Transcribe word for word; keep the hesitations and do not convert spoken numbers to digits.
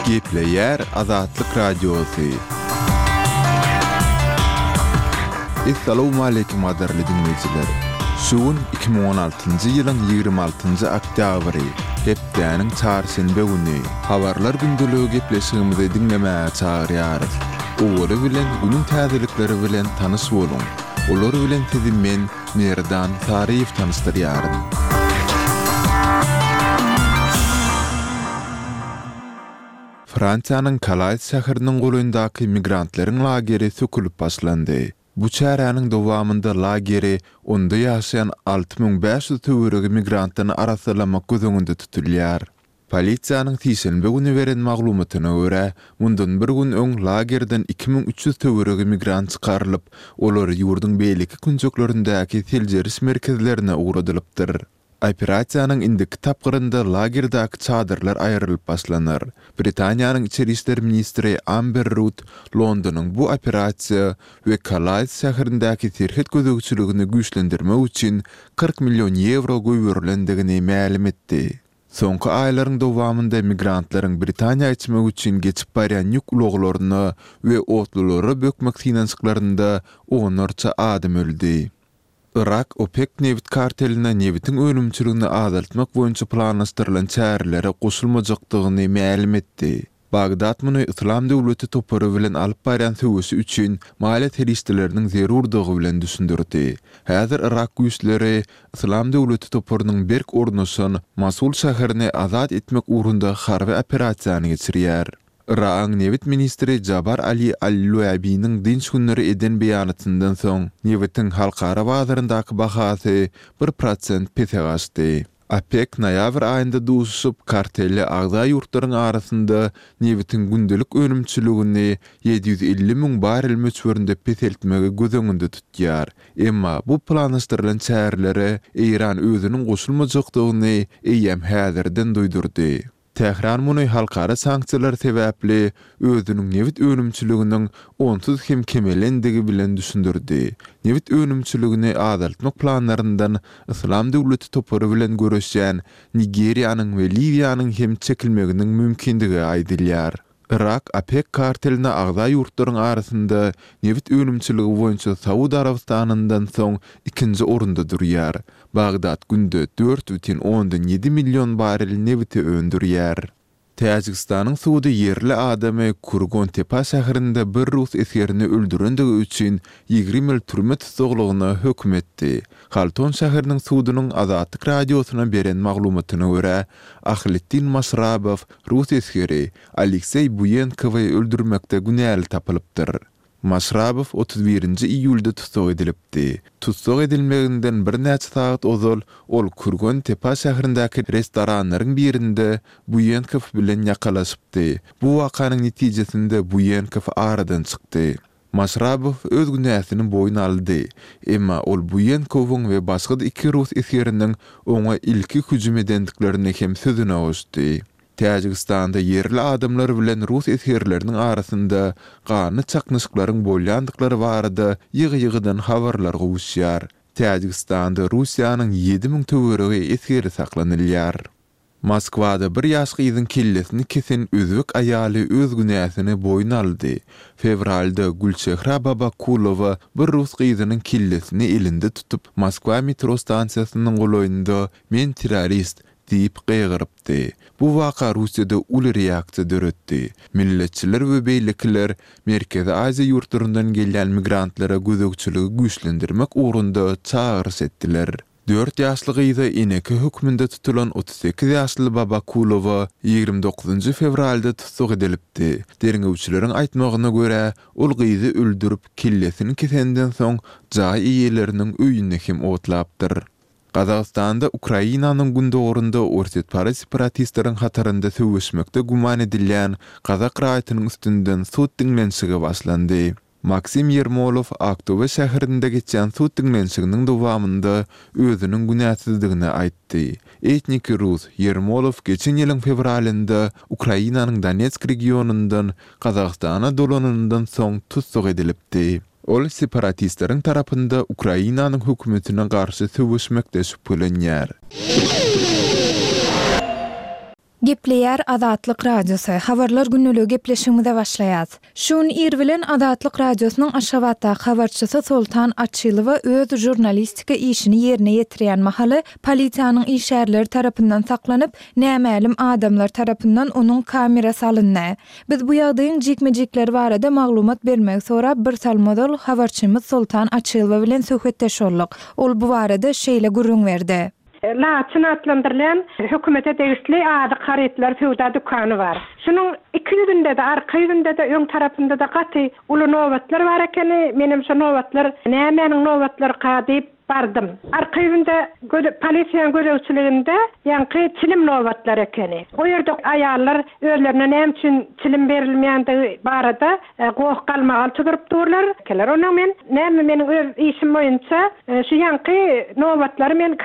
Gepleýär Azatlyk Radiosy. Essalawmaleýkim gadyrly diňleýjiler! Şu gün iki müň on altynjy ýylyň ýigrimi altynjy oktýabry, hepdäniň çarşenbe güni. Habarlar gündeligi gepleşigimizi diňlemäge çagyrýarys. Owaly bilen günüň täzelikleri bilen tanyş boluň! Olar bilen sizi men, Merdan Saryýew tanyşdyrýaryn. Fransiýanyň Kalais şäheriniň golaýyndaky migrantlaryň lageri sökülip başlandy. Bu çäräniň dowamynda lageri onda ýaşaýan alty müň bäş ýüz töweregi migrantdan arassalamak göz öňünde tutulýar. Polisiýanyň sişenbe güni beren maglumatyna görä, mundan bir gün öň lagerden iki müň üç ýüz töweregi migrant çykarylyp, olar ýurduň beýleki künjeklerindäki seljeriş merkezlerine ugradylypdyr. Operasiýanyň indiki tapgyrynda lagerdäki çadyrlar aýrylyp başlanar. Britaniýanyň içeri işler ministri Amber Rudd Londonyň bu operasiýa we Kalais şäherindäki serhet gözegçiligini güýçlendirmek üçin kyrk million ýewro goýberilendigini mälim etdi. Soňky aýlaryň dowamynda migrantlaryň Britaniýa geçmek üçin geçip barýan ýük ulaglaryna we otlulara bökmek synanyşyklarynda onlarça adam öldi. Yrak OPEK nebit karteline nebitiň önümçiligini azaltmak boýunça planlaşdyrylan çärelere goşulmajakdygyny mälim etdi. Bagdat muny Yslam döwleti topary bilen alyp barýan söweşi üçin maliýe serişdeleriniň zerurdygy bilen düşündirdi. Häzir yrak güýçleri Yslam döwleti toparynyň berk ornaşan Mosul şäherini azat etmek ugrunda harby operasiýany geçirýär. Yragyň nebit ministri Jabar Ali al-Luabiniň dynç günleri eden beýanatyndan soň, nebitiň halkara bazaryndaky bahasy bir prosent pese gaçdy. OPEK noýabr aýynda duşuşyp, kartele agza ýurtlaryň arasynda nebitiň gündelik önümçiligini ýedi ýüz elli müň barrel möçberinde peseltmegi göz öňünde tutýar. Emma bu planlaşdyrylan çärelere Eýran özüniň goşulmajakdygyny eýýäm häzirden duýdurdy. Tähran muny halkara sanksiýalar sebäpli özüniň nebit önümçiliginiň onsuz hem kemelendigi bilen düşündirdi. Nebit önümçiligini azaltmak planlaryndan Yslam döwleti topary bilen göreşýän Nigeriýanyň we Liwiýanyň hem çekilmeginiň mümkindigi aýdylýar. Yrak OPEK karteline agza ýurtlaryň arasynda nebit önümçiligi boýunça Saud Arabystanyndan soň ikinji orunda durýar. Bagdat günde dört bütin ondan ýedi million barrel nebiti öndürýär. Täjigistanyň sudy ýerli adamy Kurgon-Tepa şäherinde bir rus esgerini öldürendigi üçin ýigrimi ýyl türme tussaglygyna höküm etdi. Halton şäheriniň sudunyň Azatlyk Radiosyna beren maglumatyna görä, Ahliddin Maşrabow rus esgeri Alekseý Buýenkowy öldürmekde günäli tapylypdyr. Maşrabow otuz birinji iýulda tussag edilipdi. Tussag edilmeginden birnäçe sagat ozal ol Kurgon-Tepa şäherindäki restoranlaryň birinde Buýenkow bilen ýakalaşypdy. Bu wakanyň netijesinde Buýenkow aradan çykdy. Maşrabow öz günäsini boýun aldy. Emma ol Buýenkowyň we başga-da iki rus esgeriniň oňa ilki hüjüm edendiklerini hem sözüne goşdy. Täjigistanda ýerli adamlar bilen rus esgerleriniň arasynda ganly çaknyşyklaryň bolýandyklary barada ýygy-ýygydan habarlar gowuşýar. Täjigistanda Russiýanyň ýedi müň töweregi esgeri saklanylýar. Moskwada bir ýaş gyzyň kellesini kesen özbek aýaly öz günäsini boýun aldy. Fewralda Gülçehra Babakulowa bir rus gyzynyň kellesini elinde tutup, Moskwa metro stansiýasynyň golaýynda Men terrorist diýip gygyrypdy. Bu waka Russiýada uly reaksiýa döretdi. Milletçiler we beýlekiler Merkezi Aziýa ýurtlaryndan gelýän migrantlara gözegçiligi güýçlendirmek ugrunda çagyryş etdiler. Dört ýaşly gyza eneke hökmünde tutulan otuz sekiz ýaşly Babakulowa ýigrimi dokuzynjy fewralda tussag edilipdi. Derňewçileriň aýtmagyna görä, ol gyzy öldürip, kellesini kesenden soň jaý eýeleriniň öýüni hem otlapdyr. Gazagystanda Ukrainanyň gündogarynda orsýetparaz separatistleriň hatarynda söweşmekde güman edilýän gazak raýatynyň üstünden sud diňlenişigi başlandy. Maksim Ýermolow Aktobe şäherinde geçýän sud diňlenişiginiň dowamynda özüniň günäsizdigini aýtdy. Etniki rus Ýermolow geçen ýylyň fewralynda Ukrainanyň Donetsk regionyndan Gazagystana dolananyndan soň tussag edilipdi. Ol separatistleriň tarapynda Ukrainanyň hökümetine garşy söweşmekde şübhelenýär. Gepleýär Azatlyk Radiosy, Habarlar gündeligi gepleşigimize başlaýas. Şu gün ir bilen Azatlyk Radiosynyň Aşgabatdaky habarçysy Soltan Açylowa öz žurnalistika işini ýerine ýetirýän mahaly polisiýanyň işgärleri tarapyndan saklanyp, nämälim adamlar tarapyndan onuň kamerasy alyndy. Biz bu ýagdaýyň jikme-jikleri barada maglumat bermegi sorap bir salym ozal habarçymyz Soltan Açylowa bilen söhbetdeş bolduk. Ol bu barada şeýle gürrüň berdi. Laçyn atlandyrylýan hökümete degişli azyk harytlary söwda dükany bar. Şunuň iki ýüzünde-de, arka ýüzünde-de, öň tarapynda-da gaty uly nobatlar bar ekeni. Menem şo nobatlar nämäniň nobatlaryka diýip bardym. Arka ýüzünde göze polisiýanyň gözegçiliginde ýaňky çilim nobatlary ekeni. O ýerde aýallar özlerine näme üçin çilim berilmeýändigi barada goh-galmagal tuzuryp durlar. Onnoň men näme meniň öz işim boýunça şu ýaňky nobatlary men